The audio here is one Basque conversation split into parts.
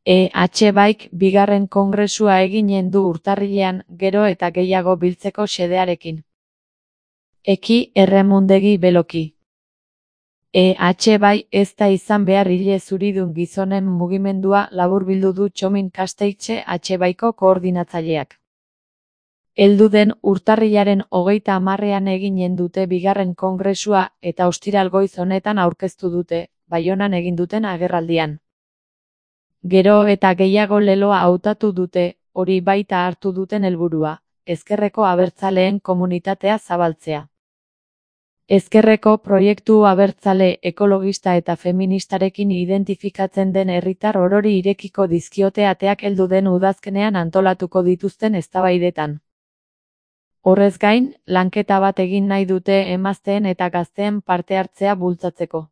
EH bigarren kongresua eginen du urtarrilean, gero eta gehiago biltzeko xedearekin. Eki erremundegi beloki. EH ez da izan behar hile zuridun gizonen mugimendua laburbildu du Txomin Kasteitxe H-ko koordinatzaileak. Heldu den urtarrilaren 30ean eginen dute bigarren kongresua eta ostiral goiz honetan aurkeztu dute, Baionan egin duten agerraldian. Gero eta gehiago leloa hautatu dute, hori baita hartu duten helburua, ezkerreko abertzaleen komunitatea zabaltzea. Ezkerreko proiektu abertzale, ekologista eta feministarekin identifikatzen den herritar orori irekiko dizkiote ateak heldu den udazkenean antolatuko dituzten eztabaidetan. Horrez gain, lanketa bat egin nahi dute emazteen eta gazteen parte hartzea bultzatzeko.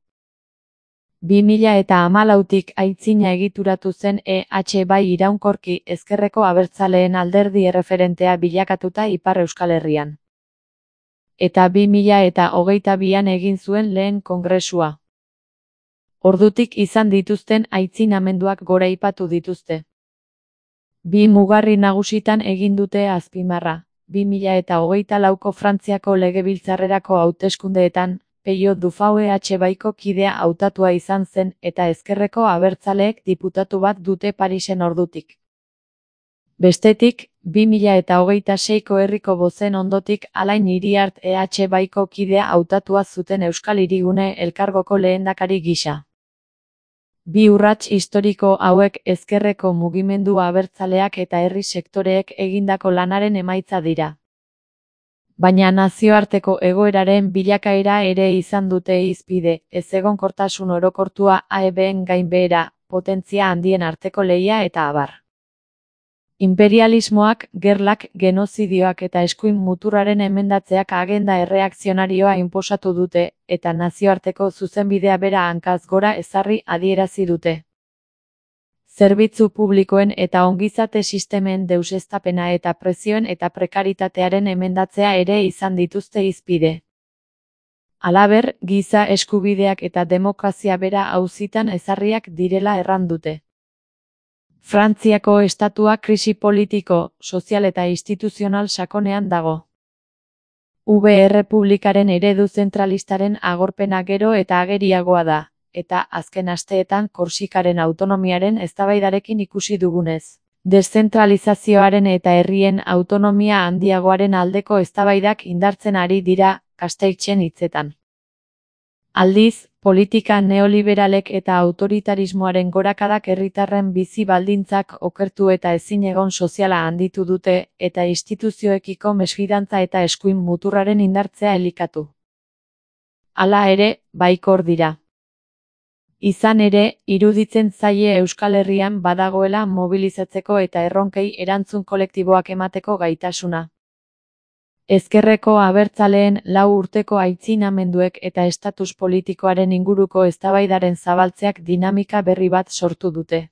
2014tik aitzina egituratu zen EH iraunkorki ezkerreko abertzaleen alderdi erreferentea bilakatuta Ipar Euskal Herrian. Eta 2022an egin zuen lehen kongresua. Ordutik izan dituzten aitzinamenduak goraipatu dituzte. Bi mugarri nagusitan egin dute azpimarra. 2024ko Frantziako legebiltzarrerako hauteskundeetan, Peio Dufau EH-ko kidea hautatua izan zen eta ezkerreko abertzaleek diputatu bat dute Parisen ordutik. Bestetik, 2026ko herriko bozen ondotik Alain Iriart EH-ko kidea hautatua zuten Euskal Hirigune elkargoko lehendakari gisa. Bi urrats historiko hauek ezkerreko mugimendu abertzaleak eta herri sektoreek egindako lanaren emaitza dira. Baina nazioarteko egoeraren bilakaera ere izan dute hizpide, ezegonkortasun orokortua, AEBen gainbehera, potentzia handien arteko lehia eta abar. Imperialismoak, gerlak, genozidioak eta eskuin muturraren emendatzeak agenda erreakzionarioa inposatu dute, eta nazioarteko zuzenbidea bera hankaz gora ezarri adierazi dute. Zerbitzu publikoen eta ongizate sistemen deuseztapena eta prezioen eta prekaritatearen emendatzea ere izan dituzte hizpide. Halaber, giza eskubideak eta demokrazia bera auzitan ezarriak direla erran dute. Frantziako estatua krisi politiko, sozial eta instituzional sakonean dago. Errepublikaren eredu zentralistaren agorpena gero eta ageriagoa da, eta azken asteetan Korsikaren autonomiaren eztabaidarekin ikusi dugunez. Deszentralizazioaren eta herrien autonomia handiagoaren aldeko eztabaidak indartzen ari dira, Kasteitxen hitzetan. Aldiz, politika neoliberalek eta autoritarismoaren gorakadak herritarren bizi baldintzak okertu eta ezinegon soziala handitu dute, eta instituzioekiko mesfidantza eta eskuin muturraren indartzea elikatu. Hala ere, baikor dira. Izan ere, iruditzen zaie Euskal Herrian badagoela mobilizatzeko eta erronkei erantzun kolektiboak emateko gaitasuna. Ezkerreko abertzaleen 4 urteko aitzinamenduek eta estatus politikoaren inguruko eztabaidaren zabaltzeak dinamika berri bat sortu dute.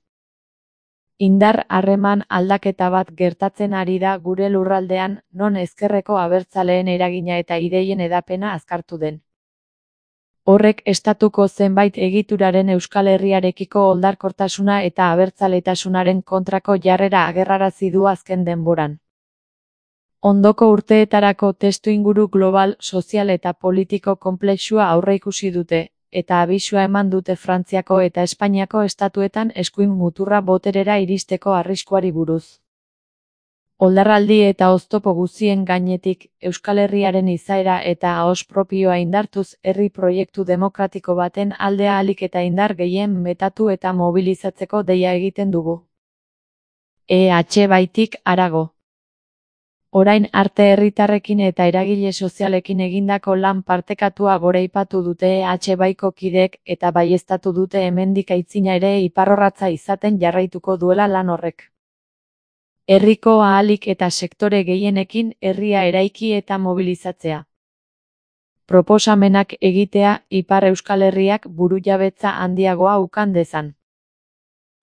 Indar harreman aldaketa bat gertatzen ari da gure lurraldean, non ezkerreko abertzaleen eragina eta ideien hedapena azkartu den. Horrek estatuko zenbait egituraren Euskal Herriarekiko oldarkortasuna eta abertzaletasunaren kontrako jarrera agerrarazi du azken denboran. Ondoko urteetarako testuinguru global, sozial eta politiko konplexua aurreikusi dute, eta abisua eman dute Frantziako eta Espainiako estatuetan eskuin muturra boterera iristeko arriskuari buruz. Oldarraldi eta oztopo guztien gainetik, Euskal Herriaren izaera eta ahos propioa indartuz herri proiektu demokratiko baten alde ahalik eta indar gehien metatu eta mobilizatzeko deia egiten dugu. EH-tik harago. Orain arte herritarrekin eta eragile sozialekin egindako lan partekatua goraipatu dute EH-ko kideek eta baieztatu dute hemendik aitzina ere iparrorratza izaten jarraituko duela lan horrek. Herriko ahalik eta sektore gehienekin herria eraiki eta mobilizatzea. Proposamenak egitea Ipar Euskal Herriak burujabetza handiagoa ukan dezan.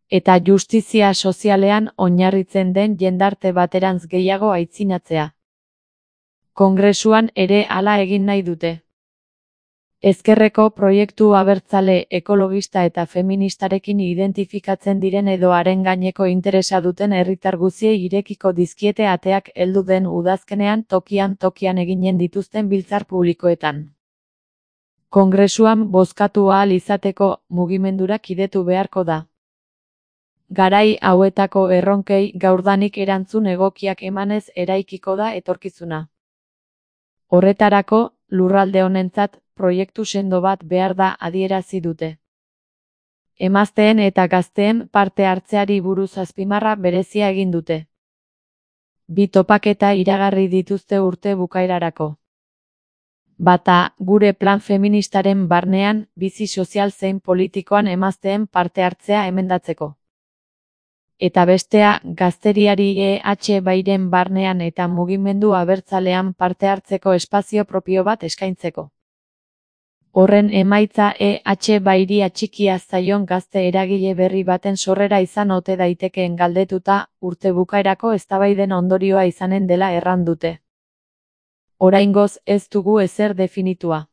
Eta justizia sozialean oinarritzen den jendarte baterantz gehiago aitzinatzea. Kongresuan ere hala egin nahi dute. Ezkerreko proiektu abertzale, ekologista eta feministarekin identifikatzen diren edo haren gaineko interesa duten herritar guztiei irekiko dizkiete ateak heldu den udazkenean tokian eginen dituzten biltzar publikoetan. Kongresuan bozkatu ahal izateko, mugimendura kidetu beharko da. Garai hauetako erronkei gaurdanik erantzun egokiak emanez eraikiko da etorkizuna. Horretarako, lurralde honentzat, proiektu sendo bat behar da adierazi dute. Emazteen eta gazteen parte hartzeari buruz azpimarra berezia egin dute. 2 topaketa iragarri dituzte urte bukaerarako. Bata, gure plan feministaren barnean, bizi sozial zein politikoan emazteen parte hartzea emendatzeko. Eta bestea, gazteriari EH barnean eta mugimendu abertzalean parte hartzeko espazio propio bat eskaintzeko. Horren emaitza EH atxikia zaion gazte eragile berri baten sorrera izan ote daitekeen galdetuta, urte bukaerako eztabaiden ondorioa izanen dela erran dute. Oraingoz ez dugu ezer definitua.